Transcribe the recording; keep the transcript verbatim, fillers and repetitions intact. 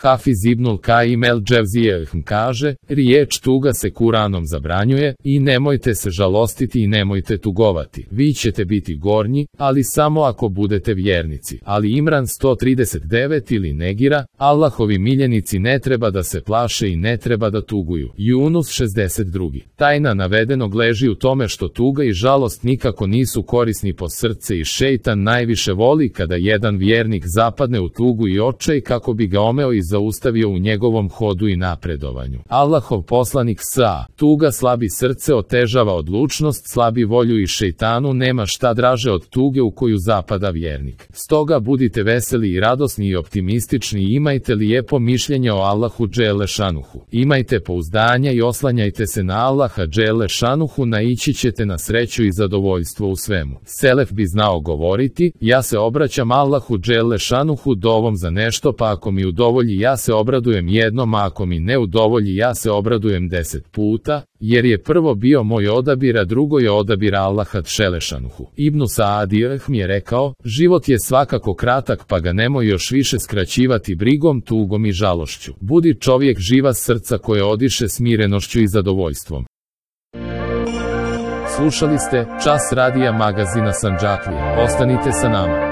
Hafiz ibnul Kaim el Dževzije kaže, riječ tuga se Kuranom zabranjuje i nemojte se žalostiti i nemojte tugovati. Vi ćete biti gornji, ali samo ako budete vjernici. Ali Imran sto trideset devet ili Negira, Allahovi miljenici ne treba da se plaše i ne treba da tuguju. Yunus šezdeset dva. Tajna navedenog leži u tome što tuga i žalost nikako nisu korisni po srce i šejtan najviše voli kada jedan vjernik zapadne u tugu i očaj kako bi ga omeo i zaustavio u njegovom hodu i napredovanju. Allahov poslanik sa, tuga slabi srce otežava odlučnost, slabi volju i šejtanu nema šta draže od tuge u koju zapada vjernik. Stoga budite veseli i radosni i optimistični i imajte lijepo mišljenje o Allahu dželle šanuhu. Imajte pouzdanja i oslanjajte se na Allaha dželle šanuhu, naići ćete na sreću i zadovoljstvo u svemu. Selef bi znao govoriti, ja se obraćam Allahu dželle šanuhu dovom za nešto, pa ako mi udovolji ja se obradujem jednom, a ako mi ne udovolji ja se obradujem deset puta, jer je prvo bio moj odabir, a drugo je odabir Allaha dželle šanuhu. Ibnu Saadi mi je rekao, život je svakako kratak, pa ga nemoj još više skraćivati brigom, tugom i žalošću. Budi čovjek živa srca koje odiše smirenošću i zadovoljstvom. Slušali ste Čas radija magazina Sandžaklija. Ostanite sa nama.